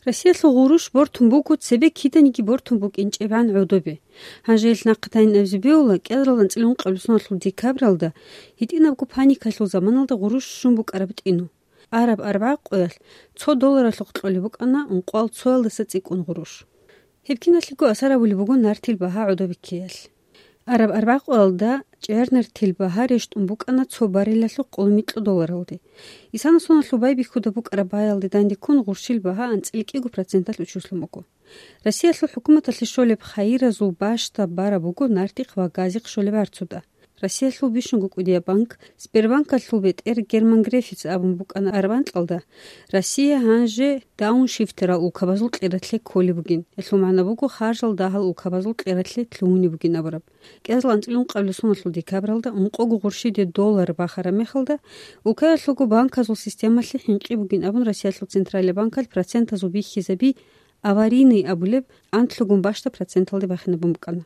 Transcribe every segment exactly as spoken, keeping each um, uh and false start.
Россиялъул гъурущ бортун буго цебе киданиги бортун букӀинчӀебгӀан гӀодобе. Гьанже ил нахъе тайин абизе бегьула, кӀиялдаса анцӀила ункъабилеб соналъул декабралда, гьитӀинабго паникалъул заманалда гъурущ щун букӀараб тӀину. Араб арбагӀа къоялъ цо долларалъухъ кьолеб букӀана ункъоялдаса цӀикӀкӀун гъурущ. Гьеб киналъего асар гьабулеб буго нартил багьа гӀодобе ккеялъ. Араб арбагӀа къоялда чӀегӀер нартил багьа рещтӀун букӀана цо баррелалъухъ къоло микьго долларалде. Исана соналъул байбихьуда букӀараб баялде данде ккун гъурщил багьа анцӀила кӀиго проценталъ учуслъун буго. Россиялъул хӀукуматалъе щолеб хайиразул бащда бараб буго нартихъ ва газихъ щолеб гӀарцуда. Россиялъул бищунго кӀудияб банк, Сбербанкалъул бетӀер Герман Грефица абун букӀана араб анкьалда, Россия гьанже дауншифтерал улкабазул кьератлъе кколеб бугин, гьелъул магӀна буго харжал дагьал улкабазул кьератлъе лъугьунеб бугин абураб. КӀиазул анцӀила ункъабилеб соналъул декабралда ункъого гъурщиде доллар бахараб мехалда, улкаялъулго банказул системалъе хӀинкъи бугин абун Россиялъул Централияб банкалъ процентазул бихьизаби аварийный абулеб анлъгун бащда проценталде бахинабун букӀана.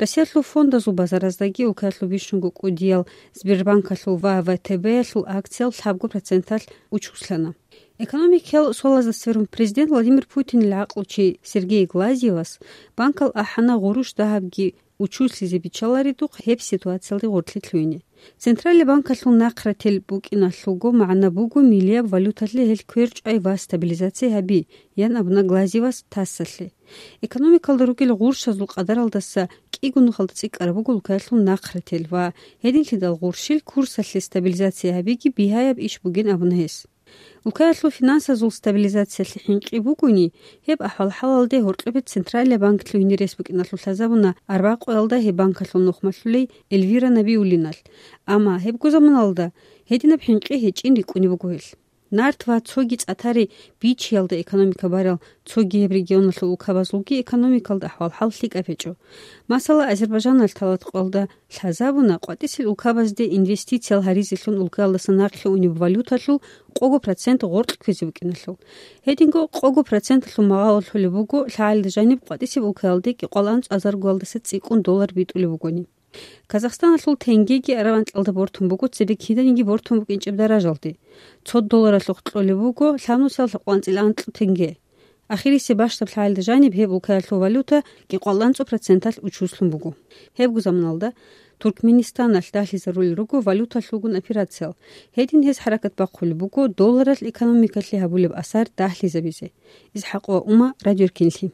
Россиялъул фондазул базараздаги улкаялъул бищунго кӀудиял Сбербанкалъул ва В Т Б-ялъул акциял лъабго проценталъ учуслъана. Экономикиял суалазда сверун президент Владимир Путинил гӀакълучи Сергей Глазьевас банкал ахӀана гъурущ дагьабги учуслъизе биччаларидухъ гьеб ситуациялде гъоркьлъи лъугьине. Централияб банкалъул нахърател букӀиналъулго магӀна буго миллияб валюталъе гьел кверчӀай ва стабилизация гьаби, ян абуна Глазьевас ТАССалъе. Экономикалда ругел гъурщазул къадаралдаса кӀиго нухалда цӀикӀкӀараб буго улкаялъул нахърател ва гьединлъидал гъурщил курсалъе стабилизация гьабиги бигьаяб иш бугин абуна гьес. Улкаялъул финансазул стабилизациялъе хӀинкъи бугони, гьеб ахӀвал-хӀалалде гьоркьобе Централияб банк лъугьине рес букӀиналъул лъазабуна арбагӀа къоялда гьеб банкалъул нухмалъулей Эльвира Набиуллиналъ. Амма гьебго заманалда гьединаб хӀинкъи гьечӀин рикӀкӀунеб буго гьелъ. Нарт ва цоги цӀатари бичиялда экономика барал цоги гьеб регионалъул улкабазулги экономикалда ахӀвал-хӀал лъикӀаб гьечӀо. Масала, Азербайджаналъ талат къоялда лъазабуна къватӀисел улкабазде инвестициял гьаризелъун улкаялдаса нахъе унеб валюталъул къого процент гъоркь кквезе букӀиналъул. Гьединго къого проценталъул магӀарул лъолеб буго лъагӀалида жаниб къватӀисеб улкаялде кӀикъоялда анцӀазаргоялдаса цӀикӀкӀун доллар битӀулеб бугони. Казахстаналъул тенгеги араб анкьалда бортун буго цебе киданиги бортун букӀинчӀеб даражалде. Цо долларалъухъ кьолеб буго лъабнусиялда лъабкъоялда анцӀила анкь тенге. Ахирисеб бащдаб лъагӀалда жаниб гьеб улкаялъул валюта кӀикъоялда анцӀго проценталъ учуслъун буго. Гьебго заманалда Туркменистаналъ дагьлъизарулел руго валюталъулгун операциял. Гьедин гьез хӀаракат бахъулеб буго долларалъ экономикалъе гьабулеб асар дагьлъизабизе. ИсхӀакъова Ума, Радио Эркенлъи.